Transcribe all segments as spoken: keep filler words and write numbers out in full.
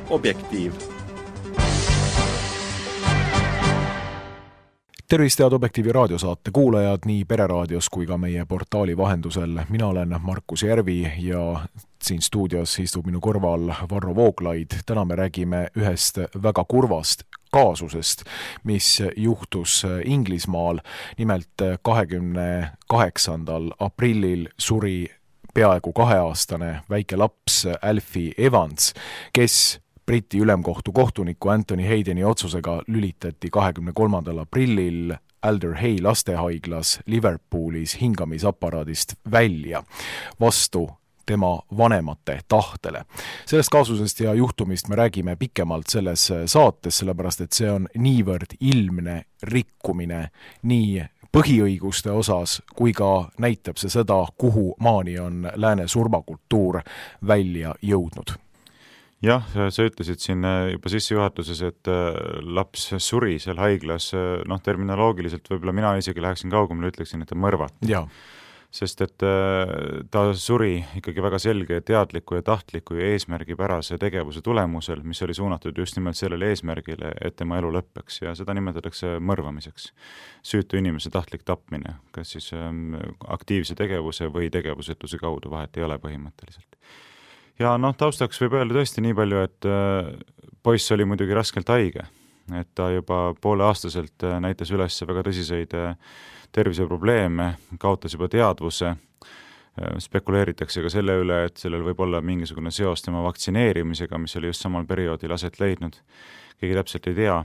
Objektiiv. Tervist head Objektiivi raadiosaate kuulajad nii Pereraadios kui ka meie portaali vahendusel. Mina olen Markus Järvi ja siin stuudios istub minu kõrval Varro Vooglaid. Täna me räägime ühest väga kurvast kaasusest, mis juhtus Inglismaal. Nimelt kahekümne kaheksandal aprillil suri peaaegu kaheaastane väike laps Alfie Evans, kes Briti ülemkohtu kohtuniku Anthony Haydeni otsusega lülitati kahekümne kolmandal aprillil Alder Hey lastehaiglas Liverpoolis hingamisaparaadist välja vastu tema vanemate tahtele. Sellest kaasusest ja juhtumist me räägime pikemalt selles saates, sellepärast et see on niivõrd ilmne rikkumine nii põhiõiguste osas, kui ka näitab see seda, kuhu maani on lääne surmakultuur välja jõudnud. Jah, sa ütlesid siin juba sissejuhatuses, et laps suri seal haiglas, noh terminoloogiliselt võib-olla mina isegi läheksin kaugemale, ütleksin, et ta mõrvati. Ja. Sest et ta suri ikkagi väga selge teadliku ja tahtliku ja eesmärgipärase tegevuse tulemusel, mis oli suunatud just nimelt sellele eesmärgile, et tema elu lõppeks ja seda nimetatakse mõrvamiseks. Süütu inimese tahtlik tapmine, kas siis aktiivse tegevuse või tegevusetuse kaudu, vahet ei ole põhimõtteliselt. Ja noh, taustaks võib öelda tõesti nii palju, et poiss oli muidugi raskelt haige, et ta juba poole aastaselt näitas üles väga tõsiseid terviseprobleeme, kaotas juba teadvuse, spekuleeritakse ka selle üle, et sellel võib olla mingisugune seos tema vaktsineerimisega, mis oli just samal perioodil aset leidnud. Keegi täpselt ei tea.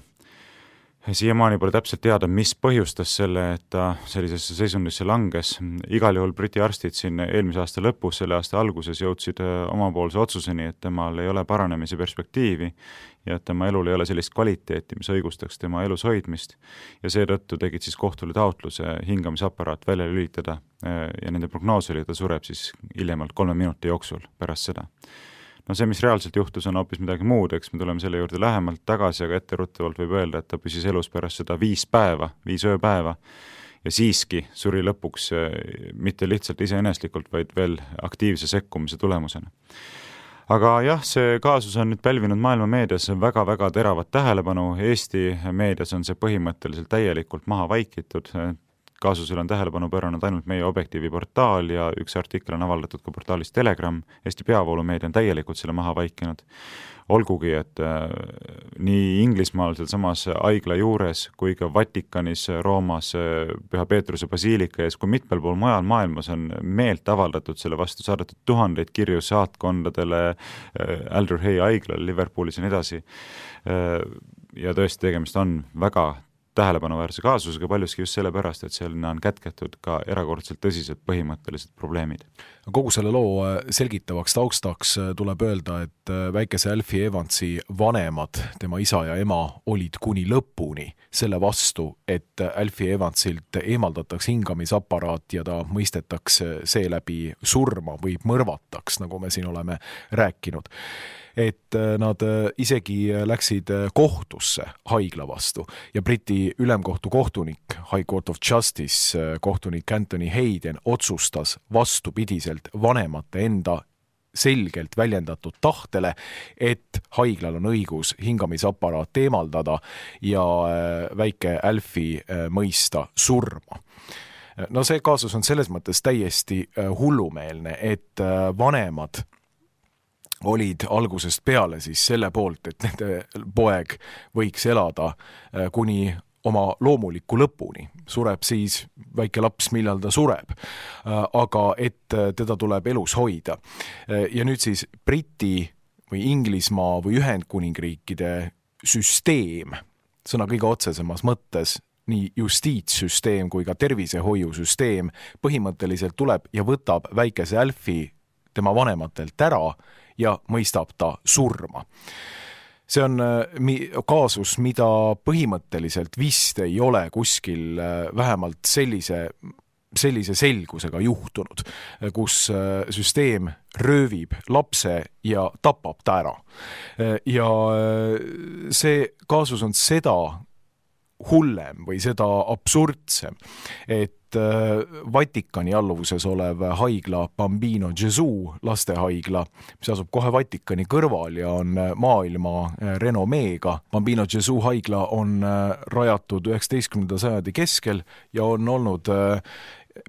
Siiamaani pole täpselt teada, mis põhjustas selle, et ta sellisesse seisundisse langes. Igal juhul Briti arstid siin eelmise aasta lõpus, selle aasta alguses jõudsid omapoolse otsuseni, et temal ei ole paranemise perspektiivi ja et tema elul ei ole sellist kvaliteeti, mis õigustaks tema elus hoidmist. Ja seetõttu tegid siis kohtule taotluse hingamisaparaat välja lülitada ja nende prognoos oli, et ta sureb siis hiljemalt kolme minuti jooksul pärast seda. No see, mis reaalselt juhtus, on hoopis midagi muud, eks me tuleme selle juurde lähemalt tagasi, aga etteruttavalt võib öelda, et ta püsis elus pärast seda viis päeva, viis ööpäeva ja siiski suri lõpuks mitte lihtsalt iseeneslikult, vaid veel aktiivse sekkumise tulemusena. Aga jah, see kaasus on nüüd pälvinud maailma meedias väga-väga teravat tähelepanu. Eesti meedias on see põhimõtteliselt täielikult maha vaikitud. Kaasusel on tähelepanu pööranud ainult meie Objektiivi portaal ja üks artikkel on avaldatud ka portaalis Telegram. Eesti peavoolumeedia on täielikult selle maha vaikinud. Olgugi, et äh, nii Inglismaal seal samas haigla juures kui ka Vatikanis, Roomas, Püha Peetruse basiilika ees, kui mitmel pool mujal maailmas on meelt avaldatud selle vastu, saadetud tuhandeid kirju saatkondadele, äh, Alder Hey haiglale, Liverpoolis ja nii edasi. Äh, ja tõesti tegemist on väga tähelepanuväärse kaasusega paljuski just sellepärast, et seal on kätketud ka erakordselt tõsised põhimõttelised probleemid. Kogu selle loo selgitavaks taustaks tuleb öelda, et väikese Alfie Evansi vanemad, tema isa ja ema, olid kuni lõpuni selle vastu, et Alfie Evansilt eemaldataks hingamisaparaat ja ta mõistetaks seeläbi surma või mõrvataks, nagu me siin oleme rääkinud. Et nad isegi läksid kohtusse haigla vastu ja Briti ülemkohtu kohtunik, High Court of Justice kohtunik Anthony Hayden otsustas vastupidiselt vanemate enda selgelt väljendatud tahtele, et haiglal on õigus hingamisaparaat eemaldada ja väike Alfie mõista surma. No see kaasus on selles mõttes täiesti hullumeelne, et vanemad olid algusest peale siis selle poolt, et nende poeg võiks elada kuni oma loomuliku lõpuni. Sureb siis väike laps, millal ta sureb, aga et teda tuleb elus hoida. Ja nüüd siis Briti või Inglismaa või Ühendkuningriikide süsteem, sõna kõige otsesemas mõttes, nii justiitssüsteem kui ka tervisehoiusüsteem põhimõtteliselt tuleb ja võtab väikese Alfie tema vanematelt ära ja mõistab ta surma. See on kaasus, mida põhimõtteliselt vist ei ole kuskil vähemalt sellise, sellise selgusega juhtunud, kus süsteem röövib lapse ja tapab ta ära. Ja see kaasus on seda hullem või seda absurdsem, et Vatikani alluvuses olev haigla Bambino Gesù lastehaigla, mis asub kohe Vatikani kõrval ja on maailma renomeega. Bambino Gesù haigla on rajatud üheksateistkümnenda sajandi keskel ja on olnud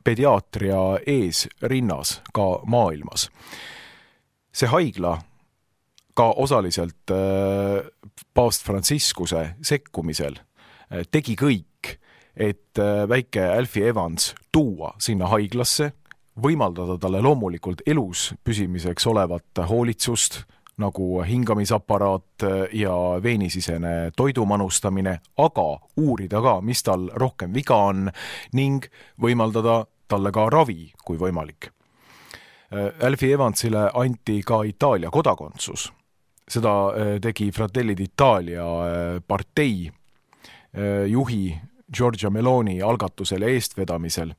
pediaatria eesrinnas ka maailmas. See haigla ka osaliselt paavst Franciscuse sekkumisel tegi kõik, et väike Alfie Evans tuua sinna haiglasse, võimaldada talle loomulikult elus püsimiseks olevat hoolitsust, nagu hingamisaparaat ja veenisisene toidumanustamine, aga uurida ka, mis tal rohkem viga on ning võimaldada talle ka ravi, kui võimalik. Alfie Evansile anti ka Itaalia kodakondsus. Seda tegi Fratelli d'Italia partei juhi Giorgia Meloni algatusel ja eestvedamisel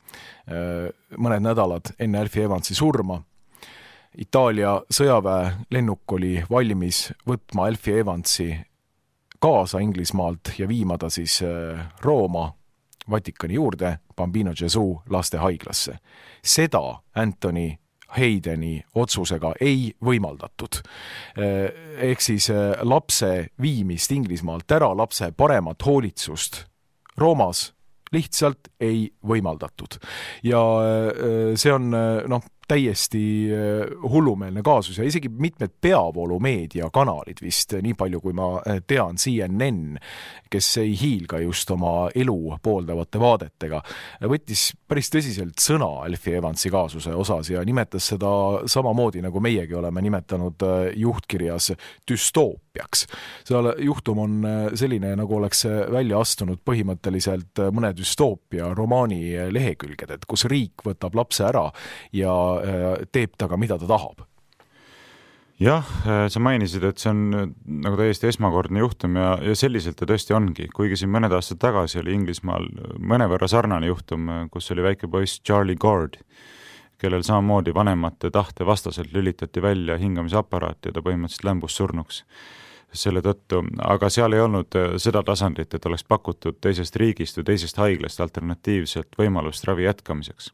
mõned nädalad enne Alfie Evansi surma. Itaalia sõjaväe lennuk oli valmis võtma Alfie Evansi kaasa Inglismaalt ja viima ta siis Rooma Vatikani juurde Bambino Gesù lastehaiglasse. Seda Anthony Haydeni otsusega ei võimaldatud. Ehk siis lapse viimist Inglismaalt ära, lapse paremat hoolitsust Roomas lihtsalt ei võimaldatud. Ja see on noh, täiesti hullumeelne kaasus ja isegi mitmed peavoolumeedia kanalid vist, nii palju kui ma tean, C N N, kes ei hiilga just oma elu pooldavate vaadetega, võttis päris tõsiselt sõna Alfie Evansi kaasuse osas ja nimetas seda samamoodi, nagu meiegi oleme nimetanud juhtkirjas düstoopiaks. See juhtum on selline, nagu oleks välja astunud põhimõtteliselt mõne düstoopia romaani lehekülged, et kus riik võtab lapse ära ja teeb taga, mida ta tahab. Jah, sa mainisid, et see on nagu täiesti esmakordne juhtum ja, ja selliselt ta tõesti ongi. Kuigi siin mõned aastad tagasi oli Inglismaal mõnevõrra sarnane juhtum, kus oli väike poiss Charlie Gord, kellel samamoodi vanemate tahte vastaselt lülitati välja hingamisaparaat ja ta põhimõtteliselt lämbus surnuks selle tõttu, aga seal ei olnud seda tasandit, et oleks pakutud teisest riigist või teisest haiglast alternatiivselt võimalust ravi jätkamiseks,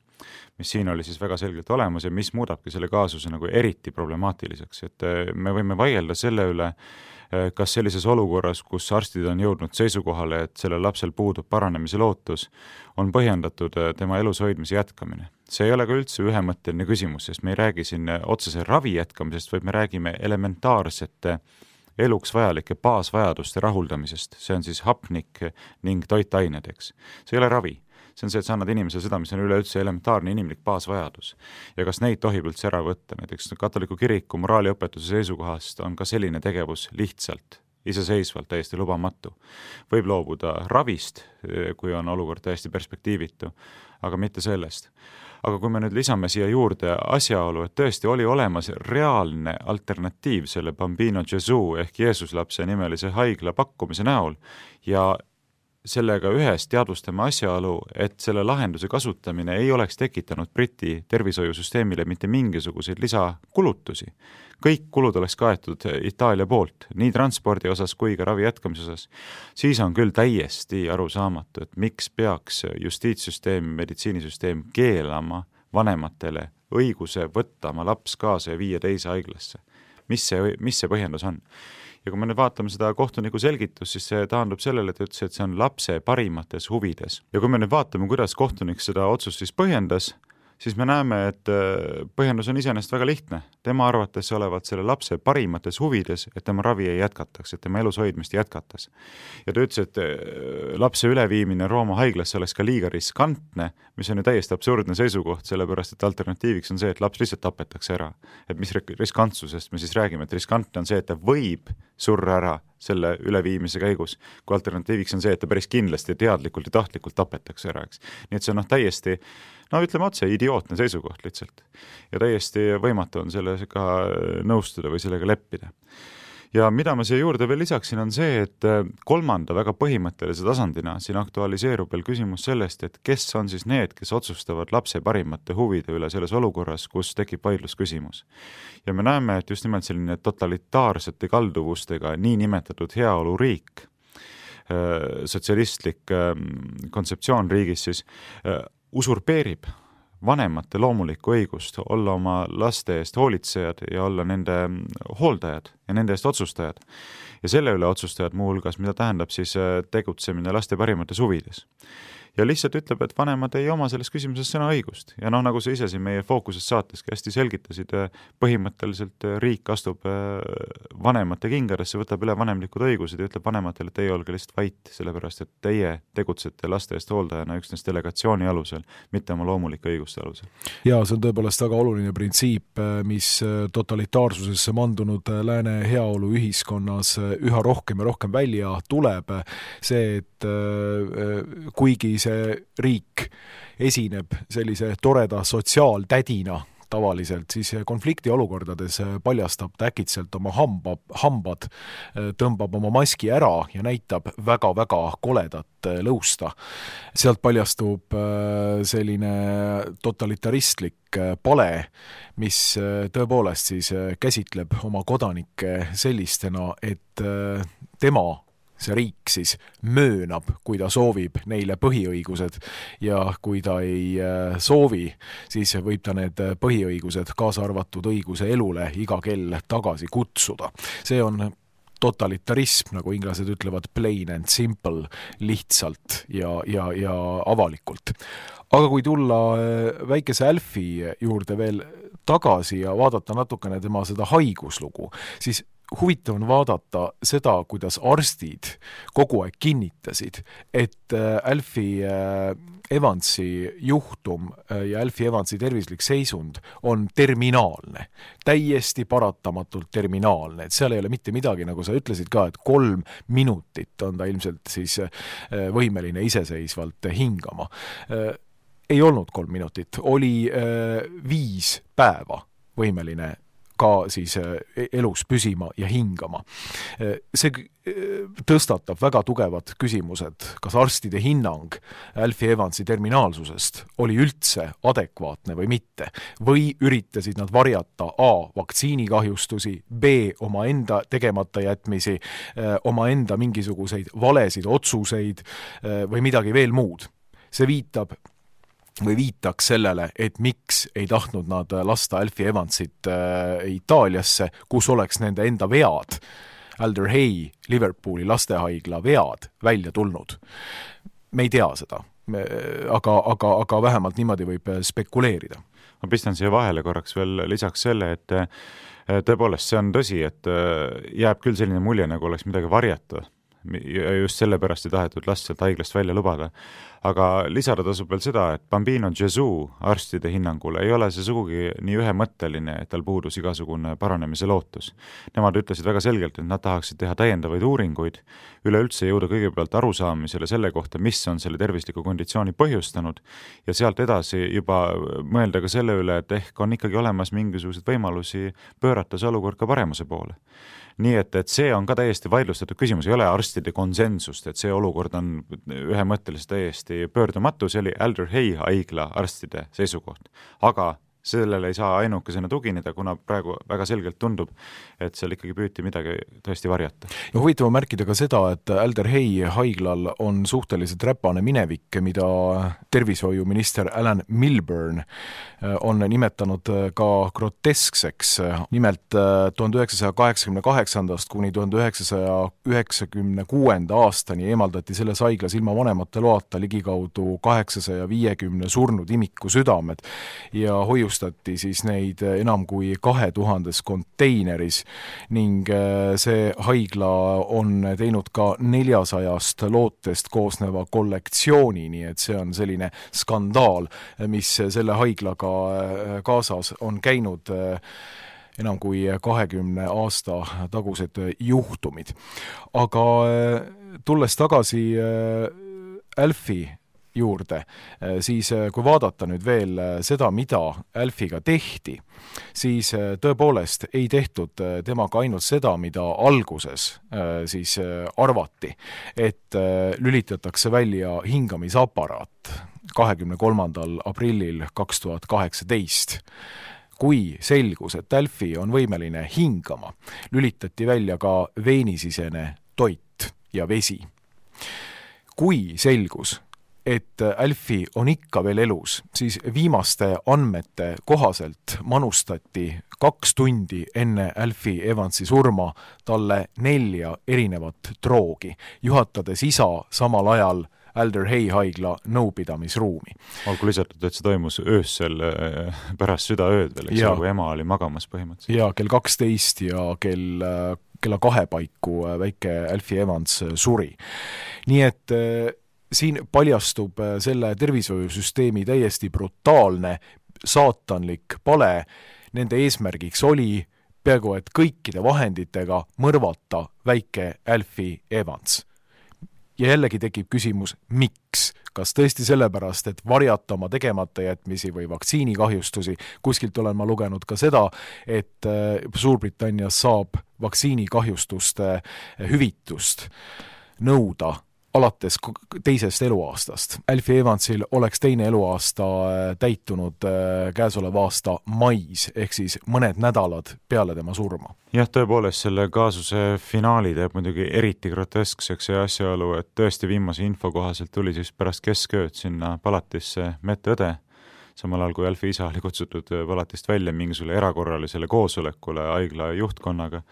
mis siin oli siis väga selgelt olemas ja mis muudabki selle kaasuse nagu eriti problemaatiliseks, et me võime vaielda selle üle, kas sellises olukorras, kus arstid on jõudnud seisukohale, et sellel lapsel puudub paranemise lootus, on põhjendatud tema elus hoidmise jätkamine. See ei ole ka üldse ühemõtteline küsimus, sest me ei räägi siin otsese ravi jätkamisest, vaid me räägime elementaarsete eluks vajalike baasvajaduste rahuldamisest. See on siis hapnik ning toitained, eks. See ei ole ravi. See on see, et sa annad inimesele seda, mis on üleüldse elementaarne inimlik baasvajadus. Ja kas neid tohib üldse ära võtta? Näiteks katoliku kiriku moraaliõpetuse seisukohast on ka selline tegevus lihtsalt, iseseisvalt täiesti lubamatu. Võib loobuda ravist, kui on olukord täiesti perspektiivitu, aga mitte sellest. Aga kui me nüüd lisame siia juurde asjaolu, et tõesti oli olemas reaalne alternatiiv selle Bambino Gesù ehk Jeesuslapse nimelise haigla pakkumise näol ja sellega ühes teadvustame asjaolu, et selle lahenduse kasutamine ei oleks tekitanud Briti tervishoiusüsteemile mitte mingisuguseid lisakulutusi. Kõik kulud oleks kaetud Itaalia poolt, nii transpordi osas kui ka ravi jätkamise osas. Siis on küll täiesti arusaamatu, et miks peaks justiitssüsteem, meditsiinisüsteem keelama vanematele õiguse võtta oma laps kaasa ja viia teise haiglasse. Mis see, mis see põhjendus on? Ja kui me nüüd vaatame seda kohtuniku selgitust, siis see taandub sellele, et ütles, et see on lapse parimates huvides. Ja kui me nüüd vaatame, kuidas kohtunik seda otsust siis põhjendas, siis me näeme, et põhjendus on iseenesest väga lihtne. Tema arvates olevat selle lapse parimates huvides, et tema ravi ei jätkataks, et tema elus hoidmist jätkatas. Ja ta ütles, et lapse üleviimine Rooma haiglasse oleks ka liiga riskantne, mis on ju täiesti absurdne seisukoht, sellepärast et alternatiiviks on see, et laps lihtsalt tapetakse ära. Et mis riskantsusest me siis räägime, et riskantne on see, et ta võib surra ära selle üleviimise käigus, kui alternatiiviks on see, et ta päris kindlasti teadlikult ja tahtlikult tapetakse ära, eks. Nii et see on noh täiesti, no ütleme otse, idiootne seisukoht lihtsalt. Ja täiesti võimatu on sellega nõustuda või sellega leppida. Ja mida ma siia juurde veel lisaksin on see, et kolmanda väga põhimõttelise tasandina siin aktualiseerub veel küsimus sellest, et kes on siis need, kes otsustavad lapse parimate huvide üle selles olukorras, kus tekib vaidlusküsimus. Ja me näeme, et just nimelt selline totalitaarsete kalduvustega nii nimetatud heaoluriik sotsialistlik kontseptsioon riigis siis usurpeerib vanemate loomulikku õigust olla oma laste eest hoolitsejad ja olla nende hooldajad ja nende eest otsustajad. Ja selle üle otsustajad muuhulgas, mida tähendab siis tegutsemine laste parimates huvides. Ja lihtsalt ütleb, et vanemad ei oma selles küsimuses sõna õigust. Ja noh, nagu sa ise siin meie fookuses saateski hästi selgitasid, põhimõtteliselt riik astub vanemate kingadesse, võtab üle vanemlikud õigused ja ütleb vanematele, et teie olge lihtsalt vait, sellepärast et teie tegutsete laste eest hooldajana üksnes delegatsiooni alusel, mitte oma loomulike õiguste alusel. Ja see on tõepoolest väga oluline printsiip, mis totalitaarsusesse mandunud lääne heaolu ühiskonnas üha rohkem ja rohkem välja tuleb. See, et kuigi see riik esineb sellise toreda sotsiaaltädina tavaliselt, siis konflikti olukordades paljastab ta äkitselt oma hamba, hambad, tõmbab oma maski ära ja näitab väga-väga koledat lõusta. Sealt paljastub selline totalitaristlik pale, mis tõepoolest siis käsitleb oma kodanikke sellistena, et tema see riik siis möönab, kui ta soovib neile põhiõigused ja kui ta ei soovi, siis võib ta need põhiõigused, kaasa arvatud õiguse elule, iga kell tagasi kutsuda. See on totalitarism, nagu inglased ütlevad, plain and simple, lihtsalt ja, ja, ja avalikult. Aga kui tulla väikese Alfy juurde veel tagasi ja vaadata natukene tema seda haiguslugu, siis huvitav on vaadata seda, kuidas arstid kogu aeg kinnitasid, et Alfy Evansi juhtum ja Alfy Evansi tervislik seisund on terminaalne, täiesti paratamatult terminaalne, et seal ei ole mitte midagi, nagu sa ütlesid ka, et kolm minutit on ta ilmselt siis võimeline iseseisvalt hingama. Ei olnud kolm minutit, oli viis päeva võimeline ka siis elus püsima ja hingama. See tõstatab väga tugevad küsimused, kas arstide hinnang Alfy Evansi terminaalsusest oli üldse adekvaatne või mitte, või üritasid nad varjata A. vaktsiinikahjustusi, B. oma enda tegemata jätmisi, oma enda mingisuguseid valesid otsuseid või midagi veel muud. See viitab või viitaks sellele, et miks ei tahtnud nad lasta Alfy Evansit äh, Itaaliasse, kus oleks nende enda vead, Alder Hey, Liverpooli lastehaigla vead välja tulnud. Me ei tea seda, Me, aga, aga, aga vähemalt niimoodi võib spekuleerida. Ma pistan siia vahele korraks veel lisaks selle, et tõepoolest see on tõsi, et jääb küll selline mulje, nagu oleks midagi varjata. Ja just sellepärast ei tahetud last sealt haiglast välja lubada. Aga lisada tasub veel seda, et Bambino Gesù arstide hinnangul ei ole see sugugi nii ühemõtteline, et tal puudus igasugune paranemise lootus. Nemad ütlesid väga selgelt, et nad tahaksid teha täiendavaid uuringuid, üleüldse jõuda kõigepealt arusaamisele selle kohta, mis on selle tervisliku konditsiooni põhjustanud ja sealt edasi juba mõelda ka selle üle, et ehk on ikkagi olemas mingisuguseid võimalusi pöörata see olukord ka paremuse poole. Nii et, et see on ka täiesti vaidlustatud küsimus, ei ole arstide konsensust, et see olukord on ühemõtteliselt täiesti pöördumatu, see oli Alder Hey haigla arstide seisukoht. Aga sellele ei saa ainukesena tugineda, kuna praegu väga selgelt tundub, et seal ikkagi püüti midagi tõesti varjata. Ja huvitav märkida ka seda, et Alder Hey haiglal on suhteliselt räpane minevik, mida tervishoiuminister Alan Milburn on nimetanud ka groteskseks. Nimelt tuhande üheksasaja kaheksakümne kaheksandast kuni tuhande üheksasaja üheksakümne kuuenda aastani eemaldati selles haiglas ilma vanemate loata ligikaudu kaheksasaja viiekümne surnud imiku südamed ja hoiu stati siis neid enam kui kahe tuhandes konteineris ning see haigla on teinud ka neljasajast lootest koosneva kollektsiooni, nii et see on selline skandaal, mis selle haiglaga kaasas on käinud enam kui kahekümne aasta tagused juhtumid. Aga tulles tagasi Alfy juurde, siis kui vaadata nüüd veel seda, mida Alfyga tehti, siis tõepoolest ei tehtud temaga ainult seda, mida alguses siis arvati, et lülitatakse välja hingamisaparaat kahekümne kolmandal aprillil kaks tuhat kaheksateist. Kui selgus, et Alfy on võimeline hingama, lülitati välja ka veenisisene toit ja vesi. kui selgus, et Alfie on ikka veel elus, siis viimaste andmete kohaselt manustati kaks tundi enne Alfie Evansi surma talle nelja erinevat droogi, juhatades isa samal ajal Alder Hey haigla nõupidamisruumi. Olgu lisatud, et see toimus öössel pärast südaööd veel, eks kui ema oli magamas põhimõtteliselt. Ja kell kaksteist ja kell, kella kahe paiku väike Alfie Evans suri. Nii et siin paljastub selle tervishoiusüsteemi täiesti brutaalne, saatanlik pale. Nende eesmärgiks oli peaaegu et kõikide vahenditega mõrvata väike Alfie Evans. Ja jällegi tekib küsimus, miks? Kas tõesti sellepärast, et varjata oma tegemata jätmisi või vaktsiinikahjustusi? Kuskilt olen ma lugenud ka seda, et Suurbritannias saab vaktsiinikahjustuste hüvitust nõuda alates teisest eluaastast. Alfie Evansil oleks teine eluaasta täitunud käesoleva aasta mais, ehk siis mõned nädalad peale tema surma. Jah, tõepoolest selle kaasuse finaali teeb muidugi eriti groteskseks ja asjaolu, et tõesti viimase info kohaselt tuli siis pärast keskööd sinna palatisse medõde, samal ajal kui Alfie isa oli kutsutud palatist välja mingisugule erakorralisele koosolekule haigla juhtkonnaga.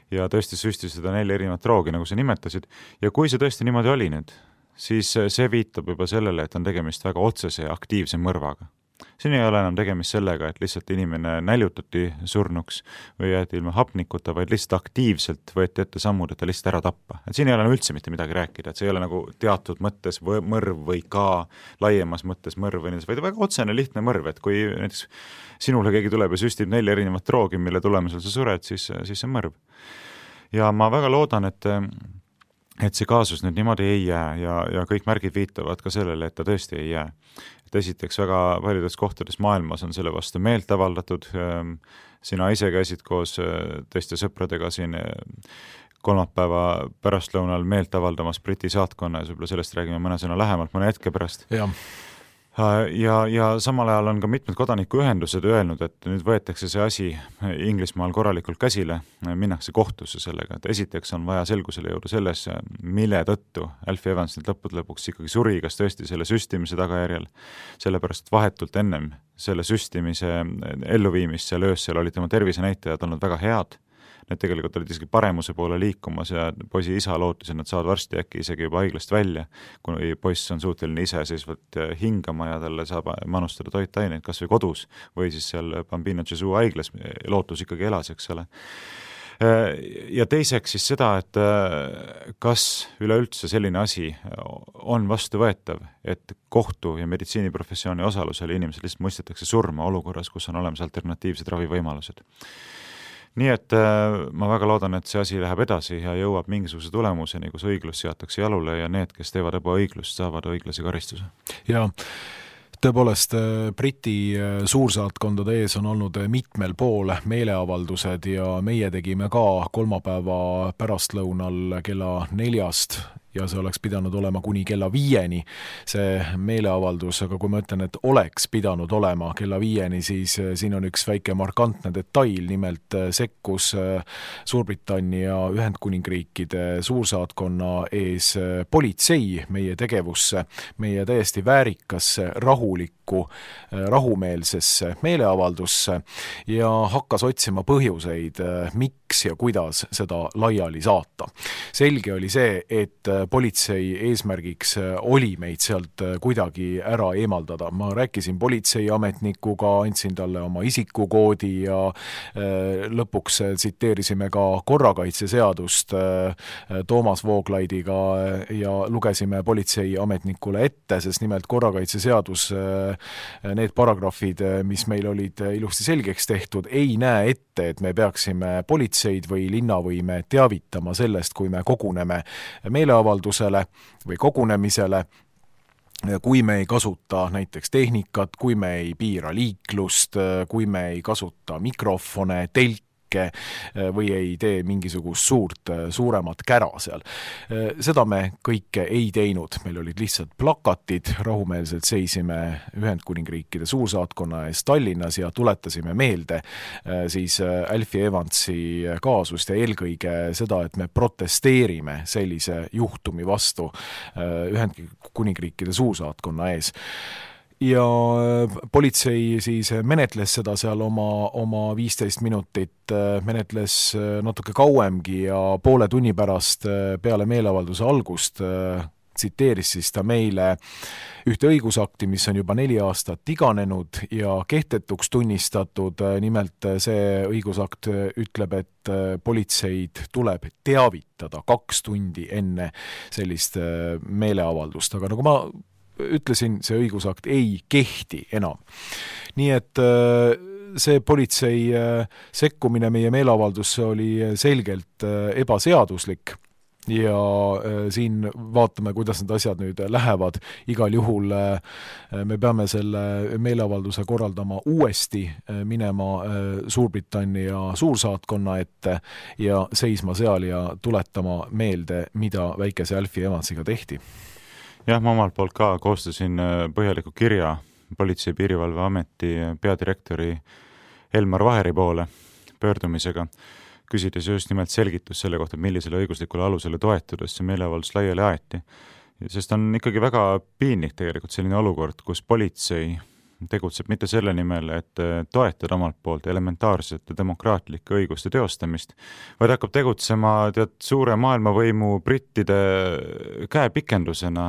Ja tõesti süstis seda nelja erinevat droogi, nagu sa nimetasid. Ja kui see tõesti niimoodi oli nüüd, siis see viitab juba sellele, et on tegemist väga otsese ja aktiivse mõrvaga. Siin ei ole enam tegemist sellega, et lihtsalt inimene näljutati surnuks või jäeti ilma hapnikuta, vaid lihtsalt aktiivselt võeti ette sammud, et ta lihtsalt ära tappa. Et siin ei ole üldse mitte midagi rääkida, et see ei ole nagu teatud mõttes mõrv või ka laiemas mõttes mõrv, vaid väga otsene lihtne mõrv, et kui näiteks sinule keegi tuleb ja süstib nelja erinevat droogi, mille tulemusel sa sured, siis, siis see mõrv. Ja ma väga loodan, et et see kaasus nüüd niimoodi ei jää ja, ja kõik märgid viitavad ka sellele, et ta tõesti ei jää. Et esiteks väga paljudes kohtades maailmas on selle vastu meelt avaldatud. Sina ise käisid koos teiste sõpradega siin kolmapäeva pärastlõunal meelt avaldamas Briti saatkonna ja võib-olla sellest räägime mõne sõna lähemalt mõne hetke pärast. Ja. Ja, ja samal ajal on ka mitmed kodanikuühendused öelnud, et nüüd võetakse see asi Inglismaal korralikult käsile, minnakse kohtusse sellega, et esiteks on vaja selgusele jõuda selles, mille tõttu Alfie Evans nüüd lõppude lõpuks ikkagi suri, kas tõesti selle süstimise tagajärjel, sellepärast vahetult ennem selle süstimise elluviimist seal öössel olid tema tervisenäitajad olnud väga head. Need tegelikult olid isegi paremuse poole liikumas ja poisi isa lootis, et nad saavad varsti äkki isegi juba haiglast välja, kui poiss on suuteline ise seisvalt hingama ja talle saab manustada toitaineid kas või kodus või siis seal Bambino Gesù haiglas lootus ikkagi elas, eks ole. Ja teiseks siis seda, et kas üleüldse selline asi on vastuvõetav, et kohtu ja meditsiiniprofessiooni osalusel inimesed lihtsalt mõistetakse surma olukorras, kus on olemas alternatiivsed ravivõimalused. Nii et ma väga loodan, et see asi läheb edasi ja jõuab mingisuguse tulemuseni, kus õiglus seatakse jalule ja need, kes teevad ebaõiglust, saavad õiglase karistuse. Ja tõepoolest Briti suursaatkondade ees on olnud mitmel pool meeleavaldused ja meie tegime ka kolmapäeva pärastlõunal kella neljast ja see oleks pidanud olema kuni kella viieni see meeleavaldus, aga kui ma ütlen, et oleks pidanud olema kella viieni, siis siin on üks väike markantne detail, nimelt sekkus Suurbritannia Ühendkuningriikide suursaatkonna ees politsei meie tegevusse, meie täiesti väärikasse, rahulikku, rahumeelsesse meeleavaldusse ja hakkas otsima põhjuseid, miks ja kuidas seda laiali saata. Selge oli see, et politsei eesmärgiks oli meid sealt kuidagi ära eemaldada. Ma rääkisin politseiametnikuga, andsin talle oma isikukoodi ja lõpuks tsiteerisime ka korrakaitseseadust Toomas Vooglaidiga ja lugesime politseiametnikule ette, sest nimelt korrakaitseseadus, need paragrahvid, mis meil olid ilusti selgeks tehtud, ei näe ette, et me peaksime politseid või linnavõime teavitama sellest, kui me koguneme meeleavaldusele või kogunemisele, kui me ei kasuta näiteks tehnikat, kui me ei piira liiklust, kui me ei kasuta mikrofone, telki, kõike või ei tee mingisugust suurt, suuremat kära seal. Seda me kõike ei teinud, meil olid lihtsalt plakatid, rahumeelselt seisime Ühendkuningriikide suursaatkonna ees Tallinnas ja tuletasime meelde siis Alfie Evansi kaasust ja eelkõige seda, et me protesteerime sellise juhtumi vastu Ühendkuningriikide suursaatkonna ees. Ja politsei siis menetles seda seal oma, oma viisteist minutit, menetles natuke kauemgi ja poole tunni pärast peale meeleavalduse algust tsiteeris siis ta meile ühte õigusakti, mis on juba neli aastat iganenud ja kehtetuks tunnistatud. Nimelt see õigusakt ütleb, et politseid tuleb teavitada kaks tundi enne sellist meeleavaldust, aga nagu ma ütlesin, see õigusakt ei kehti enam. Nii et see politsei sekkumine meie meeleavaldusse oli selgelt ebaseaduslik ja siin vaatame, kuidas need asjad nüüd lähevad. Igal juhul me peame selle meeleavalduse korraldama uuesti, minema Suurbritannia suursaatkonna ette ja seisma seal ja tuletama meelde, mida väikese Alfie Evansiga tehti. Jah, ma omalt poolt ka koostasin põhjaliku kirja Politsei- ja Piirivalveameti peadirektori Elmar Vaheri poole pöördumisega, küsides just nimelt selgitus selle kohta, millisele õiguslikule alusele toetudes see meeleavaldus laiali aeti. Sest on ikkagi väga piinlik tegelikult selline olukord, kus politsei tegutseb mitte selle nimel, et toetada omalt poolt elementaarsete demokraatlike õiguste teostamist, vaid hakkab tegutsema tead, suure maailmavõimu brittide käepikendusena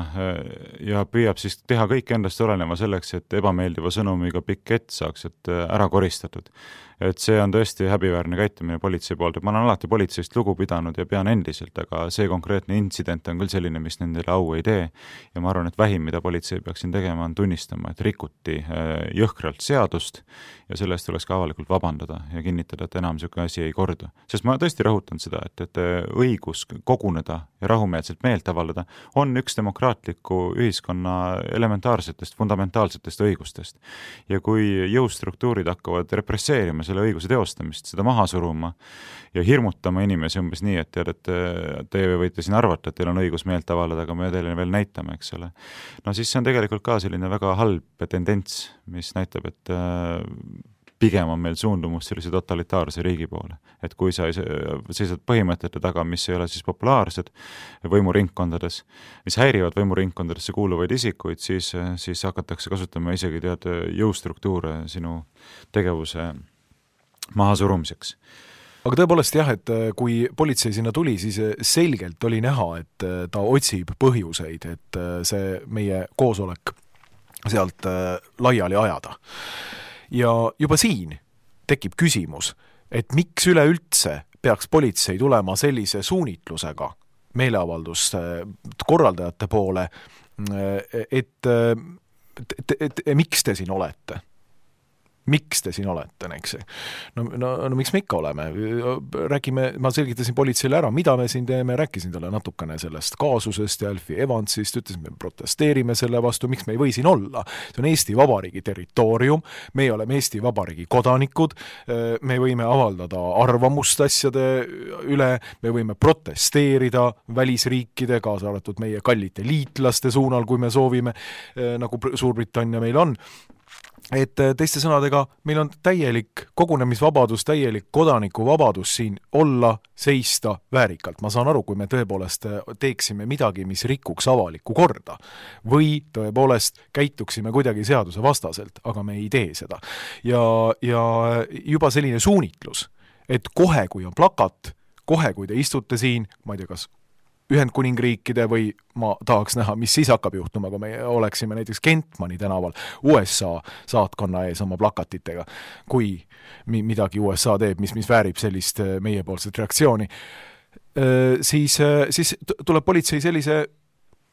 ja püüab siis teha kõik endast olenema selleks, et ebameeldiva sõnumiga pikk ett saaks et ära koristatud. Et see on tõesti häbiväärne käitumine politsei poolt, et ma olen alati politseist lugu pidanud ja pean endiselt, aga see konkreetne intsident on küll selline, mis nendele au ei tee ja ma arvan, et vähim, mida politsei peaks siin tegema, on tunnistama, et rikuti jõhkralt seadust ja sellest tuleks ka avalikult vabandada ja kinnitada, et enam niisugune asi ei kordu. Sest ma tõesti rõhutan seda, et, et õigus koguneda ja rahumeelselt meelt avaldada on üks demokraatliku ühiskonna elementaarsetest, fundamentaalsetest õigustest. Ja kui jõustruktuurid hakkavad represseerima selle õiguse teostamist, seda maha suruma ja hirmutama inimesi umbes nii, et tead, et teie võite siin arvata, et teil on õigus meelt avaldada, aga me teile veel näitame, eks ole. No siis see on tegelikult ka selline väga halb tendents, mis näitab, et pigem on meil suundumus sellise totalitaarse riigi poole. Et kui sa seisad põhimõtete taga, mis ei ole siis populaarsed võimuringkondades, mis häirivad võimuringkondadesse kuuluvaid isikuid, siis, siis hakatakse kasutama isegi tead jõustruktuure sinu tegevuse maha surumiseks. Aga tõepoolest jah, et kui politsei sinna tuli, siis selgelt oli näha, et ta otsib põhjuseid, et see meie koosolek sealt laiali ajada. Ja juba siin tekib küsimus, et miks üleüldse peaks politsei tulema sellise suunitlusega meeleavalduste korraldajate poole, et, et, et, et miks te siin olete? Miks te siin olete, eks? No, no, no miks me ikka oleme? Räägime, ma selgitasin politseile ära, mida me siin teeme, rääkisin talle natukene sellest kaasusest ja Alfie Evansist, ütlesin, me protesteerime selle vastu, miks me ei või siin olla. See on Eesti Vabariigi territoorium, me oleme Eesti Vabariigi kodanikud, me võime avaldada arvamust asjade üle, me võime protesteerida välisriikide, kaasa arvatud meie kallite liitlaste suunal, kui me soovime, nagu Suurbritannia meil on. Et teiste sõnadega, meil on täielik kogunemisvabadus, täielik kodanikuvabadus siin olla, seista väärikalt. Ma saan aru, kui me tõepoolest teeksime midagi, mis rikuks avalikku korda või tõepoolest käituksime kuidagi seaduse vastaselt, aga me ei tee seda. Ja, ja juba selline suunitlus, et kohe, kui on plakat, kohe, kui te istute siin, ma ei tea, kas Ühendkuningriikide või ma tahaks näha, mis siis hakkab juhtuma, kui me oleksime näiteks Kentmani tänaval U S A saatkonna ees oma plakatitega, kui midagi U S A teeb, mis, mis väärib sellist meiepoolset reaktsiooni, siis, siis tuleb politsei sellise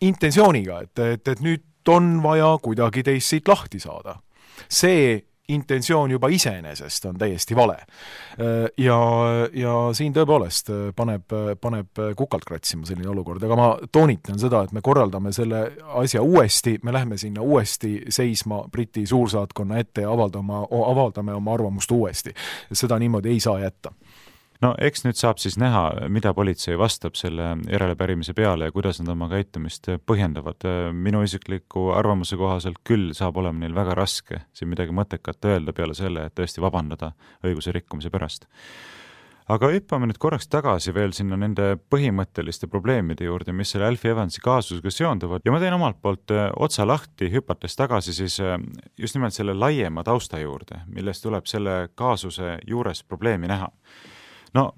intentsiooniga, et, et, et nüüd on vaja kuidagi teist siit lahti saada. See intentsioon juba iseenesest on täiesti vale. Ja, ja siin tõepoolest paneb, paneb kukalt kratsima selline olukord, aga ma toonitan seda, et me korraldame selle asja uuesti, me lähme sinna uuesti seisma Briti suursaatkonna ette ja avaldame, avaldame oma arvamust uuesti. Seda niimoodi ei saa jätta. no eks nüüd saab siis näha, mida politsei vastab selle järelepärimise peale ja kuidas nad oma käitumist põhjendavad. Minu isikliku arvamuse kohaselt küll saab olema neil väga raske siin midagi mõttekat öelda peale selle, et tõesti vabandada õiguse rikkumise pärast. Aga hüppame nüüd korraks tagasi veel sinna nende põhimõtteliste probleemide juurde, mis selle Alfie Evansi kaasusega seonduvad ja ma teen omalt poolt otsa lahti, hüpates tagasi siis just nimelt selle laiema tausta juurde, millest tuleb selle kaasuse juures probleemi näha. No,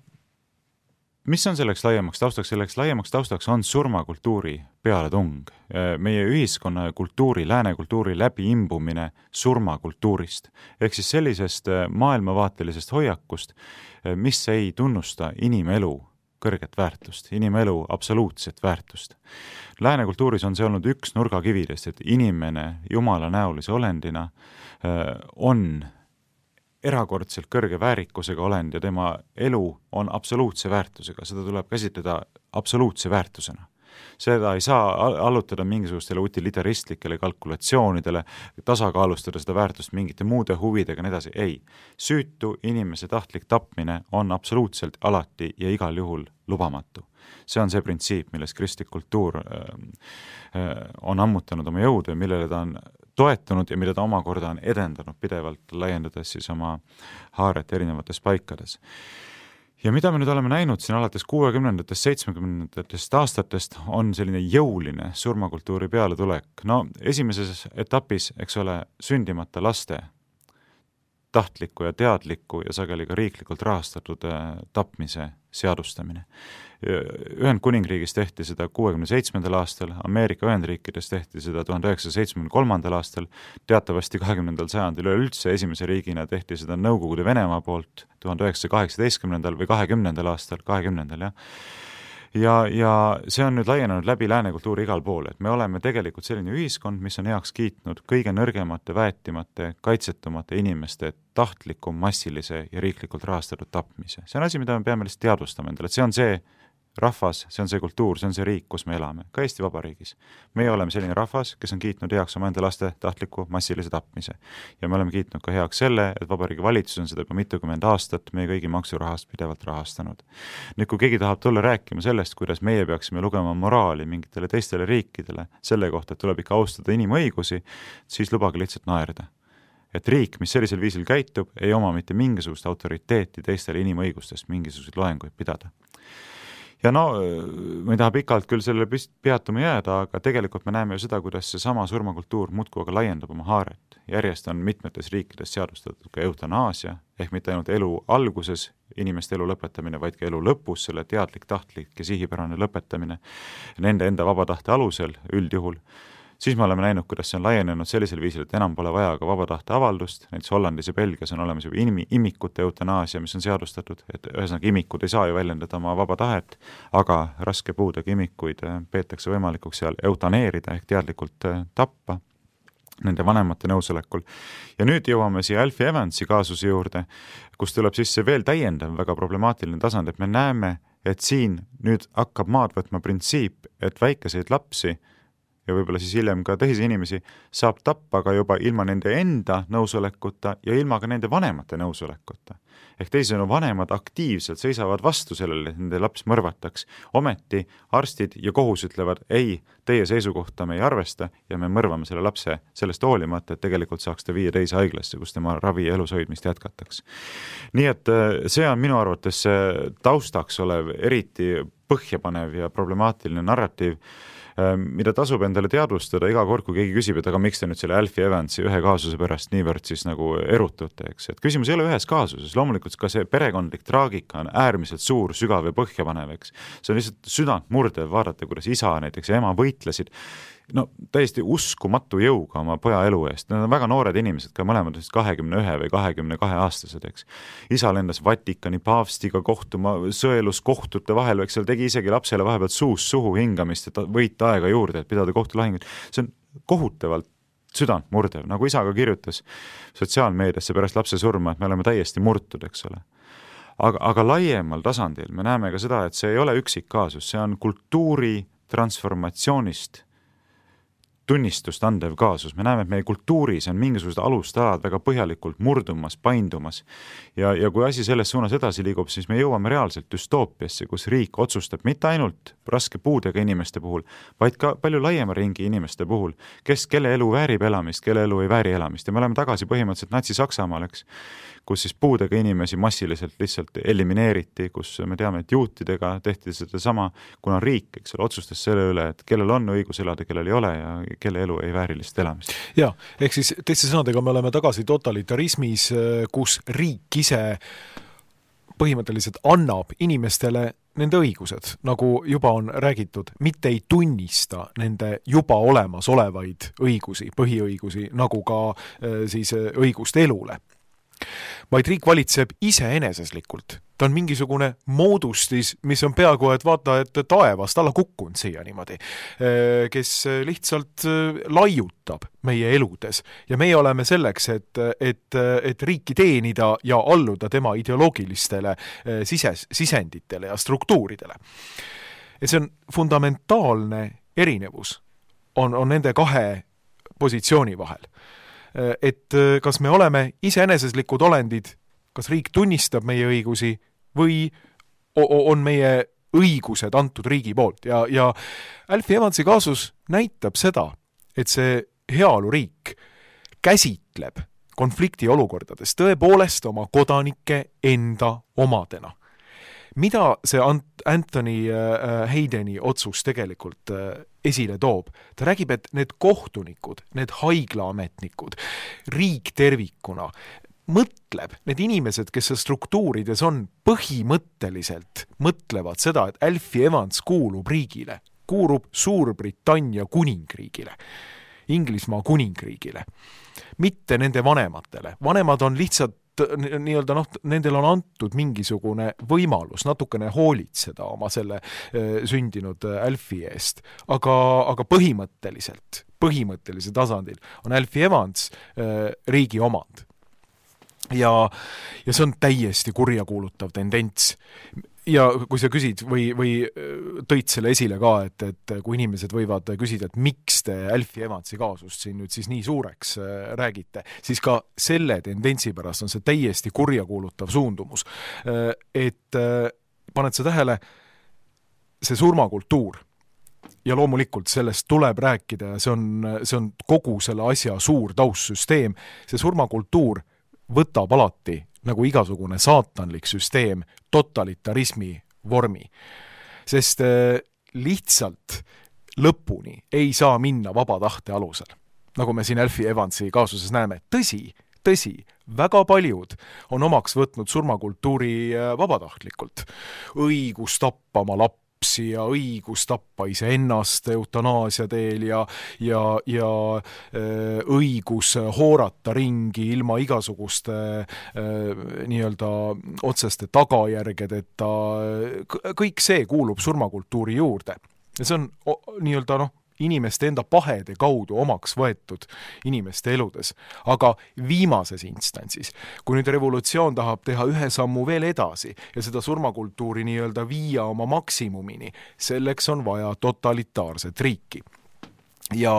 mis on selleks laiemaks taustaks? Selleks laiemaks taustaks on surmakultuuri pealetung. Meie ühiskonna ja kultuuri, lääne kultuuri läbi imbumine surmakultuurist. Ehk siis sellisest maailmavaatelisest hoiakust, mis ei tunnusta inimelu kõrget väärtust, inimelu absoluutset väärtust. Lääne kultuuris on see olnud üks nurgakividest, et inimene jumala näolise olendina on erakordselt kõrge väärikusega olend ja tema elu on absoluutse väärtusega, seda tuleb käsitleda absoluutse väärtusena. Seda ei saa allutada mingisugustele utilitaristlikele kalkulatsioonidele, tasakaalustada seda väärtust mingite muude huvidega, nii edasi. Ei, süütu inimese tahtlik tapmine on absoluutselt alati ja igal juhul lubamatu. See on see printsiip, milles kristlik kultuur on ammutanud oma jõudu ja millele ta on toetunud ja mida ta omakorda on edendanud pidevalt, laiendades siis oma haaret erinevates paikades. Ja mida me nüüd oleme näinud siin alates kuuekümnendatest, seitsmekümnendatest aastatest on selline jõuline surmakultuuri pealetulek. No esimeses etapis, eks ole, sündimata laste tahtliku ja teadliku ja sageli ka riiklikult rahastatud tapmise seadustamine. Ühendkuningriigis tehti seda kuuekümne seitsmendal aastal, Ameerika Ühendriikides tehti seda tuhande üheksasaja seitsmekümne kolmandal aastal, teatavasti kahekümnendal sajandil üleüldse esimese riigina tehti seda Nõukogude Venemaa poolt tuhande üheksasaja kaheksateistkümnendal või kahekümnendal aastal, kahekümnendal, jah. Ja, ja see on nüüd laienenud läbi lääne kultuuri igal pool, et me oleme tegelikult selline ühiskond, mis on heaks kiitnud kõige nõrgemate, väetimate, kaitsetumate inimeste tahtliku, massilise ja riiklikult rahastatud tapmise. See on asi, mida me peame lihtsalt teadvustama endale, et see on see rahvas, see on see kultuur, see on see riik, kus me elame, ka Eesti Vabariigis. Meie oleme selline rahvas, kes on kiitnud heaks oma enda laste tahtliku massilise tapmise. Ja me oleme kiitnud ka heaks selle, et Vabariigi valitsus on seda juba mitukümmend aastat meie kõigi maksurahast pidevalt rahastanud. Nüüd, kui keegi tahab tulla rääkima sellest, kuidas meie peaksime lugema moraali mingitele teistele riikidele selle kohta, et tuleb ikka austada inimõigusi, siis lubage lihtsalt naerda. Et riik, mis sellisel viisil käitub, ei oma mitte mingisugust autoriteeti teistele inimõigustest mingisuguseid loenguid pidada. Ja no, ma ei taha pikalt küll selle peatuma jääda, aga tegelikult me näeme ju seda, kuidas see sama surmakultuur muudkui aga laiendab oma haaret. Järjest on mitmetes riikides seadustatud ka eutanaasia, ehk mitte ainult elu alguses inimeste elu lõpetamine, vaid ka elu lõpus, selle teadlik, tahtlik ja sihipärane lõpetamine nende enda vaba tahte alusel üldjuhul. Siis me oleme näinud, kuidas see on laienenud sellisel viisil, et enam pole vaja ka vaba tahte avaldust, näiteks Hollandis ja Belgias on olemas juba imikute eutanaasia, mis on seadustatud, et ühesõnaga imikud ei saa ju väljendada oma vaba tahet, aga raske puudega imikuid peetakse võimalikuks seal eutaneerida ehk teadlikult tappa nende vanemate nõusolekul. Ja nüüd jõuame siia Alfie Evansi kaasuse juurde, kus tuleb sisse veel täiendav väga problemaatiline tasand, et me näeme, et siin nüüd hakkab maad võtma printsiip, et väikeseid lapsi ja võib-olla siis hiljem ka teisi inimesi saab tappa ka juba ilma nende enda nõusolekuta ja ilma ka nende vanemate nõusolekuta. Ehk teisisõnu vanemad aktiivselt seisavad vastu sellele, et nende laps mõrvataks. Ometi arstid ja kohus ütlevad, ei, teie seisukohta me ei arvesta ja me mõrvame selle lapse sellest hoolimata, et tegelikult saaks ta viia teise haiglasse, kus tema ravi ja elushoidmist jätkataks. Nii et see on minu arvates taustaks olev eriti põhjapanev ja problemaatiline narratiiv, mida tasub endale teadvustada iga kord, kui keegi küsib, et aga miks te nüüd selle Alfie Evansi ühe kaasuse pärast niivõrd siis nagu erutute, eks. Et küsimus ei ole ühes kaasuses, loomulikult ka see perekondlik traagika on äärmiselt suur, sügav ja põhjapanev, eks. See on lihtsalt südant murdev vaadata, kuidas isa näiteks ja ema võitlesid no täiesti uskumatu jõuga oma poja elu eest. Need on väga noored inimesed, ka mõlemad kahekümne ühe või kahekümne kahe aastased, eks. Isa lendas Vatikani paavstiga kohtuma, sõelus kohtute vahel, eks seal tegi isegi lapsele vahepeal suus suhu hingamist, et võita aega juurde, et pidada kohtulahingut. See on kohutavalt südant murdev, nagu isa ka kirjutas sotsiaalmeediasse pärast lapse surma, et me oleme täiesti murtud, eks ole. Aga, aga laiemal tasandil me näeme ka seda, et see ei ole üksik kaasus, see on kultuuri transformatsioonist tunnistust andev kaasus. Me näeme, et meie kultuuris on mingisugused alustalad väga põhjalikult murdumas, paindumas ja, ja kui asi selles suunas edasi liigub, siis me jõuame reaalselt düstoopiasse, kus riik otsustab mitte ainult raske puudega inimeste puhul, vaid ka palju laiema ringi inimeste puhul, kes, kelle elu väärib elamist, kelle elu ei vääri elamist. Ja me oleme tagasi põhimõtteliselt Natsi-Saksamaal, eks, kus siis puudega inimesi massiliselt lihtsalt elimineeriti, kus me teame, et juutidega tehti seda sama, kuna riik, eks ole, otsustas selle üle, et kellel on õigus elada, kellel ei ole ja kelle elu ei väärilist elamist. Ja, ehk siis teiste sõnadega me oleme tagasi totalitarismis, kus riik ise põhimõtteliselt annab inimestele nende õigused, nagu juba on räägitud, mitte ei tunnista nende juba olemas olevaid õigusi, põhiõigusi, nagu ka siis õigust elule. Vaid riik valitseb iseeneseslikult. Ta on mingisugune moodustis, mis on peaaegu, et vaata, et taevast alla kukkunud siia niimoodi, kes lihtsalt laiutab meie eludes. Ja meie oleme selleks, et, et, et riiki teenida ja alluda tema ideoloogilistele sises, sisenditele ja struktuuridele. Et see on fundamentaalne erinevus on, on nende kahe positsiooni vahel. Et kas me oleme iseeneseslikud olendid, kas riik tunnistab meie õigusi või on meie õigused antud riigi poolt. Ja, ja Alfie Evansi kaasus näitab seda, et see heaoluriik käsitleb konflikti olukordades tõepoolest oma kodanike enda omadena. Mida see Anthony Haydeni otsus tegelikult esile toob? Ta räägib, et need kohtunikud, need haiglaametnikud, riik tervikuna, mõtleb, need inimesed, kes struktuurides on, põhimõtteliselt mõtlevad seda, et Alfie Evans kuulub riigile, kuulub Suurbritannia kuningriigile, Inglismaa kuningriigile, mitte nende vanematele. Vanemad on lihtsalt nii-öelda, noh, nendel on antud mingisugune võimalus natukene hoolitseda oma selle sündinud Alfie eest, aga, aga põhimõtteliselt, põhimõttelise tasandil on Alfie Evans riigi omand. Ja, ja see on täiesti kurjakuulutav tendents. Ja kui sa küsid või, või tõid selle esile ka, et, et kui inimesed võivad küsida, et miks te Alfie Evansi kaasust siin nüüd siis nii suureks räägite, siis ka selle tendentsi pärast on see täiesti kurjakuulutav suundumus. Et paned sa tähele, see surmakultuur ja loomulikult sellest tuleb rääkida ja see on, see on kogu selle asja suur taustsüsteem. See surmakultuur võtab alati nagu igasugune saatanlik süsteem totalitarismi vormi. Sest lihtsalt lõpuni ei saa minna vaba tahte alusel. Nagu me siin Alfie Evansi kaasuses näeme. Tõsi, tõsi, väga paljud on omaks võtnud surmakultuuri vabatahtlikult. Õigus tappa oma lapsi ja õigus tappa iseennast eutanaasia teel ja, ja, ja äh, õigus hoorata ringi ilma igasuguste äh, nii-öelda otseste tagajärgedeta. Kõik see kuulub surmakultuuri juurde. Ja see on nii-öelda noh, inimeste enda pahede kaudu omaks võetud inimeste eludes. Aga viimases instantsis, kui nüüd revolutsioon tahab teha ühe sammu veel edasi ja seda surmakultuuri nii-öelda viia oma maksimumini, selleks on vaja totalitaarset riiki. Ja,